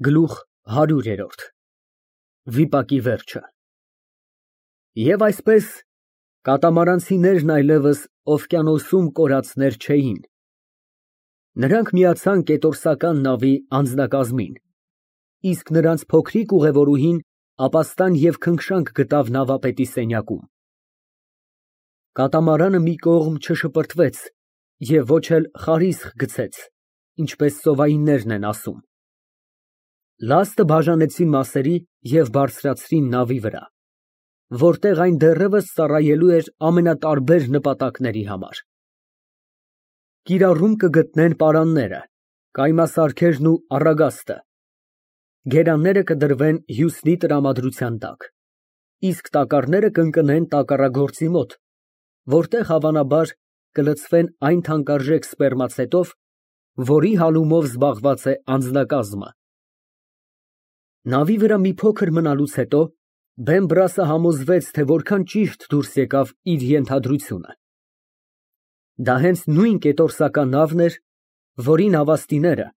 Գլուխ 100 Վիպակի վերջը Եվ այսպես կատամարանցիներն այլևս օվկիանոսում կորածներ չէին. նրանք միացան կետորսական նավի անձնակազմին, իսկ նրանց փոքրիկ ուղևորուհին ապաստան և քնքշանք գտավ նավապետի սենյակում։ Կատամարանը մի կողմ չշպրտվեց և ոչ էլ խարիսխ գցեց, ինչպես ծովայիններն են ասում։ Լաստը բաժանեցին մասերի և բարձրացրին նավի վրա, որտեղ այն դեռևս ծառայելու էր ամենատարբեր նպատակների համար։ Կիրառում կգտնեն պարանները, կայմասարքերն ու առագաստը, գերանները կդրվեն հյուսնի տրամադրության տակ, իսկ տակառները կընկնեն տակառագործի մոտ, որտեղ հավանաբար կլցվեն այն թանկարժեք սպերմացետով, որի հալումով զբաղված է անձնակազմը։ Նավի վրա մի փոքր մնալուց հետո Բեմբրասը համոզվեց, թե որքան ճիշտ դուրս եկավ իր ենթադրությունը։ Դա հենց նույն կետորսական նավն էր, որի նավաստիները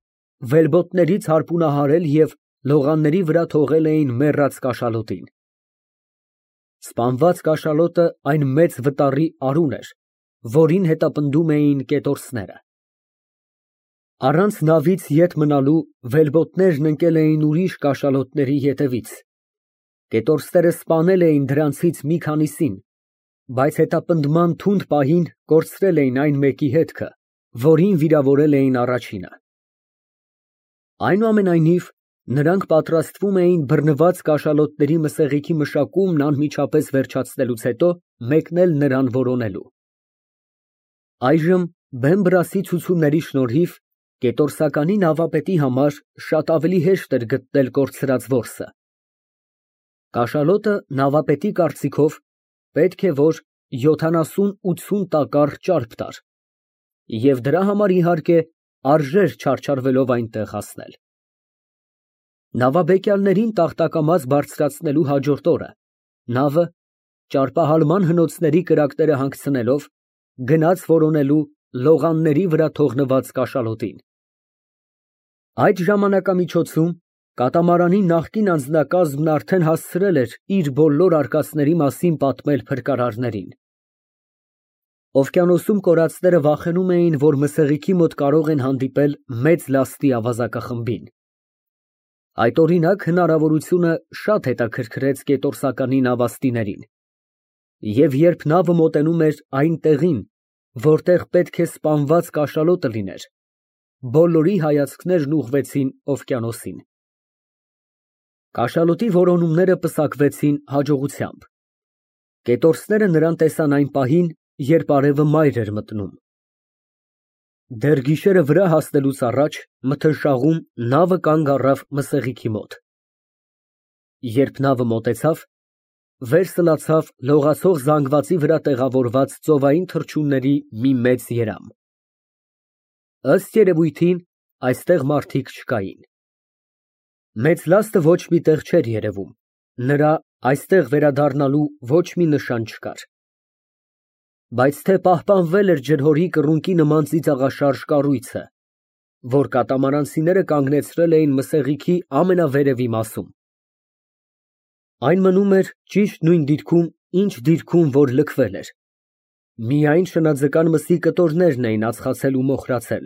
վելբոտներից հարպունահարել և լողանների վրա թողել էին մեռած կաշալոտին։ Սպանված կաշալոտը այն մեծ վտառի արուն էր, որին հետապնդում էին կետորսները։ Առանց նավից ետ մնալու վելբոտներն ընկել էին ուրիշ կաշալոտների ետևից։ Կետորսները սպանել էին դրանցից մի քանիսին, բայց հետապնդման թունդ պահին կորցրել էին այն մեկի հետքը, որին վիրավորել էին առաջինը։ Այնուամենայնիվ, նրանք պատրաստվում էին բռնված կաշալոտների մսեղիքի մշակումն անմիջապես վերջացնելուց հետո մեկնել նրան որոնելու։ Այժմ Բեմբրասի ցուցումների շնորհիվ կետորսականի նավապետի համար շատ ավելի հեշտ էր գտնել կորցրած որսը։ Կաշալոտը, նավապետի կարծիքով, պետք է որ 70-80 տակառ ճարպ տար, և դրա համար, իհարկե, արժեր չարչարվելով այնտեղ հասնել։ Նավաբեկյալներին տախտակամաց բարձրացնելու հաջորդ օրը նավը, ճարպահալման հնոցների կրակները հանգցնելով, գնաց որոնելու լողանների վրա թողնված կաշալոտին։ Այդ ժամանակամիջոցում կատամարանի նախկին անձնակազմն արդեն հասցրել էր իր բոլոր արկածների մասին պատմել փրկարարներին։ Օվկիանոսում կորածները վախենում էին, որ մսեղիքի մոտ կարող են հանդիպել մեծ լաստի ավազակախմբին։ Այդ, օրինակ, հնարավորությունը շատ հետաքրքրեց կետորսականի նավաստիներին, և երբ նավը մոտենում էր այն տեղին, որտեղ պետք է սպանված կաշալոտը լիներ, բոլորի հայացքներն ուղղվեցին օվկիանոսին։ Կաշալոտի որոնումները պսակվեցին հաջողությամբ։ Կետորսները նրան տեսան այն պահին, երբ արևը մայր էր մտնում։ Դեռ գիշերը վրա հասնելուց առաջ մթնշաղում նավը կանգ առավ մսեղիքի մոտ։ Երբ նավը մոտեցավ, վերսլացավ լողացող զանգվածի վրա տեղավորված ծովային թռչունների մի մեծ երամ։ Ըստ երևույթին, այստեղ մարդիկ չկային։ Մեծ լաստը ոչ մի տեղ չէր երևում, նրա այստեղ վերադառնալու ոչ մի նշան չկար։ Բայց թե պահպանվել էր ջրհորի կռունկի նման ծիծաղաշարժ կառույցը, որ կատամարանցիները կանգնեցրել էին մսեղիքի ամենավերևի մասում։ Այն մնում էր ճիշտ նույն դիրքում, ինչ դիրքում, որ լքվել էր։ Միայն շնաձկան մսի կտորներն էին ածխացել ու մոխրացել,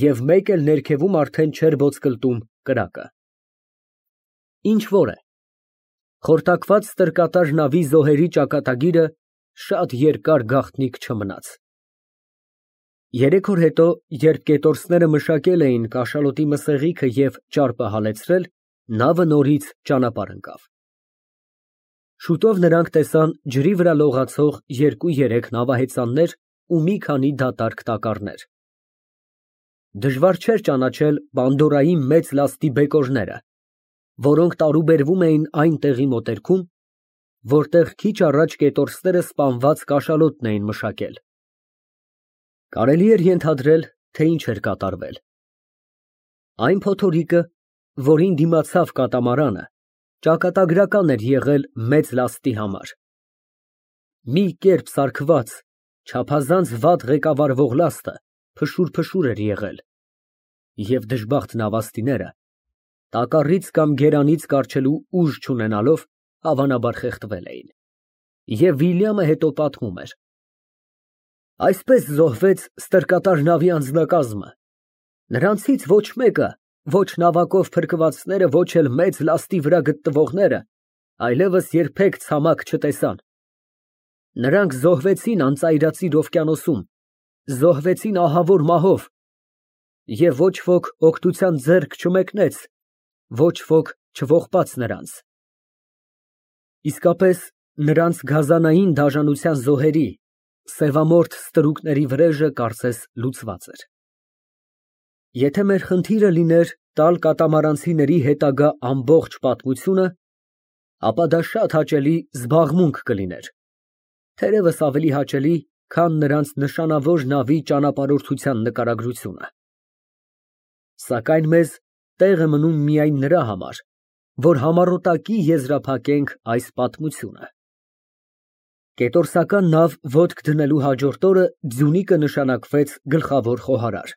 և մեկ էլ ներքևում արդեն չէր ոսկլտում կրակը։ Ինչ որ է, խորտակված ստրկատար նավի զոհերի ճակատագիրը շատ երկար գաղտնիք չմնաց։ 3 օր հետո, երբ կետորսները մշակել էին կաշալոտի մսեղիքը և ճարպը հալեցրել, նավը նորից ճանապարհ ընկավ։ Շուտով նրանք տեսան ջրի վրա լողացող 2-3 նավահեծաններ ու մի քանի դատարկ տակառներ։ Դժվար չէր ճանաչել Պանդորայի մեծ լաստի բեկորները, որոնք տարուբերվում էին այն տեղի մոտերքում, որտեղ քիչ առաջ կետորսները սպանված կաշալոտն էին մշակել։ Կարելի էր ենթադրել, թե ինչ էր կատարվել։ Այն փոթորիկը, որին դիմացավ կատամարանը, ճակատագրական էր եղել մեծ լաստի համար։ Մի կերպ սարքված, չափազանց վատ ղեկավարվող լաստը փշուր էր եղել, և դժբախտ նավաստիները տակառից կամ գերանից կառչելու ուժ չունենալով, հավանաբար խեղդվել էին։ Եվ Վիլյամը հետո պատմում էր. այսպես զոհվեց ստրկատար նավի անձնակազմը։ Նրանցից ոչ մեկը, ոչ նավակով փրկվածները, ոչ էլ մեծ լաստի վրա գտնվողները, այլևս երբեք ցամաք չտեսան։ Նրանք զոհվեցին անծայրածիր օվկիանոսում, զոհվեցին ահավոր մահով, և ոչ ոք օգնության ձեռք չմեկնեց, ոչ ոք չողբաց նրանց։ Իսկապես, նրանց գազանային դաժանության զոհերի, սևամորթ ստրուկների վրեժը կարծես լուծված էր։ Եթե մեր խնդիրը լիներ տալ կատամարանցիների հետագա ամբողջ պատմությունը, ապա դա շատ հաճելի զբաղմունք կլիներ, թերևս ավելի հաճելի, քան նրանց նշանավոր նավի ճանապարհորդության նկարագրությունը։ Սակայն մեզ տեղ է մնում միայն նրա համար, որ համառոտակի եզրափակենք այս պատմությունը։ Կետորսական նավ ոտք դնելու հաջորդ օրը Ձյունիկը նշանակվեց գլխավոր խոհարար։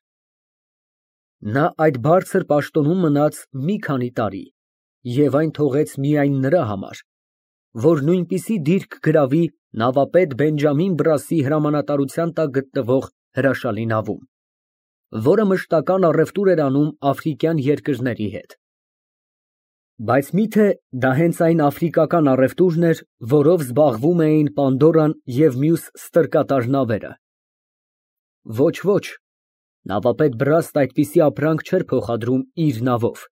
Նա այդ բարձր պաշտոնում մնաց մի քանի տարի և այն թողեց միայն նրա համար, որ նույնպիսի դիրք գրավի նավապետ Բենջամին Բրասի հրամանատարության տակ գտնվող հրաշալի նավում, որը մշտական առևտուր էր անում աֆրիկյան երկրների հետ։ Բայց միթե դա հենց այն աֆրիկական առևտուրն էր, որով զբաղվում էին Պանդորան և մյուս ստրկատար նավերը։ Ոչ, ոչ, նավապետ Բրասն այդպիսի ապրանք չէր փոխադրում իր նավով։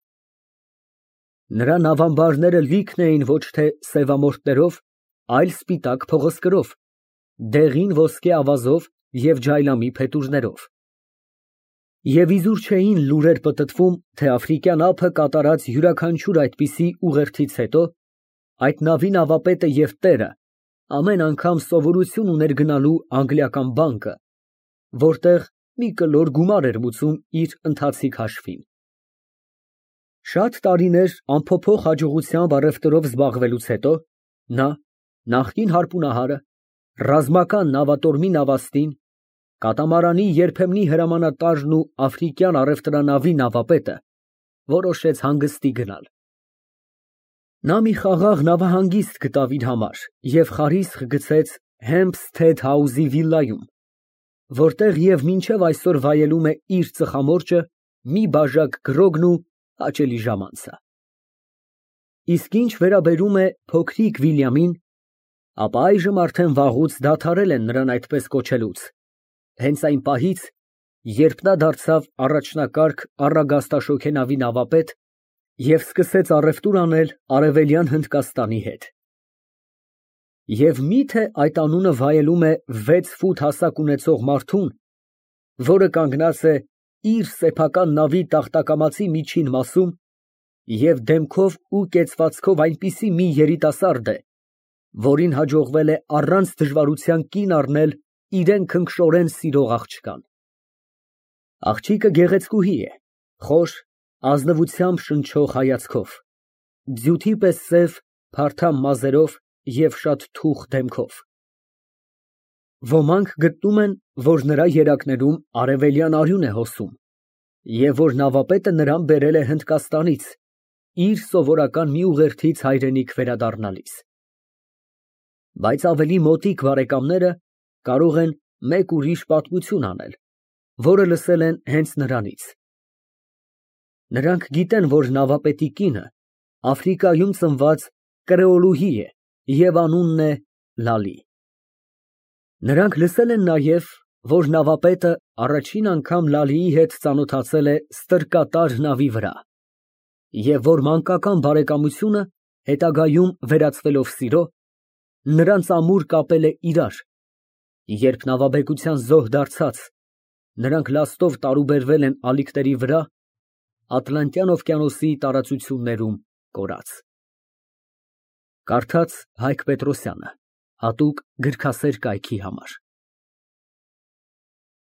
Նրա նավամբարները լիքն էին ոչ թե սևամորթներով, այլ սպիտակ փղոսկրով, դեղին ոսկե ավազով և ջայլամի փետուրներով։ Եվ իզուր չէին լուրեր պտտվում, թե աֆրիկյան ափը կատարած յուրաքանչյուր այդպիսի ուղերձից հետո այդ նավի նավապետը և տերը ամեն անգամ սովորություն ուներ գնալու անգլիական բանկը, որտեղ մի կլոր գումար էր մուծում իր ընթացիկ հաշվին։ Շատ տարիներ անփոփոխ հաջողությամբ առևտրով զբաղվելուց հետո նա, նախկին հարպունահարը, ռազմական նավատորմի նավաստին, կատամարանի երբեմնի հրամանատարն ու աֆրիկյան առևտրանավի նավապետը, որոշեց հանգստի գնալ։ Նա մի խաղաղ նավահանգիստ գտավ իր համար և խարիսխ գցեց Հեմփսթեդ Հաուզի վիլայում, որտեղ և մինչև այսօր վայելում է իր ծխամորճը, մի բաժակ գրոգն ու հաճելի ժամանցը։ Իսկ ինչ վերաբերում է փոքրիկ Վիլյամին, ապա այժմ արդեն վաղուց դադարել են նրան այդպես կոչելուց, հենց այն պահից, երբ նա դարձավ առաջնակարգ առագաստաշոգե նավի նավապետ և սկսեց առևտուր անել Արևելյան Հնդկաստանի հետ։ Եվ մի՞թե այդ անունը վայելում է 6 ֆուտ հասակ ունեցող մարդուն, որը կանգնած է իր սեփական նավի տախտակամածի միջին մասում և դեմքով ու կեցվածքով այնպիսի մի երիտասարդ է, որին հաջողվել է առանց դժվարության կին առնել իրան քնքշորեն սիրող աղջկան։ Աղջիկը գեղեցկուհի է, խոր, ազնվությամբ շնչող հայացքով, ձյութի պես սև, փարթամ մազերով և շատ թուխ դեմքով։ Ոմանք գտնում են, որ նրա երակներում արևելյան արյուն է հոսում, և որ նավապետը նրան բերել է Հնդկաստանից, իր սովորական մի ուղերձից հայրենիք վերադառնալիս։ Բայց ավելի մոտիկ բարեկամները կարող են մեկ ուրիշ պատմություն անել, որը լսել են հենց նրանից։ Նրանք գիտեն, որ նավապետի կինը Աֆրիկայում ծնված կրեոլուհի է և անունն է Լալի։ Նրանք լսել են նաև, որ նավապետը առաջին անգամ Լալիի հետ ծանոթացել է ստրկատար նավի վրա, և որ մանկական բարեկամությունը հետագայում վերածվելով սիրո, նրանց ամուր կապել է իրար, երբ նավաբեկության զոհ դարձած, նրանք լաստով տարուբերվել են ալիքների վրա Ատլանտյան օվկիանոսի տարածություններում կորած։ Կարդաց Հայկ Պետրոսյանը, հատուկ գրքասեր կայքի համար։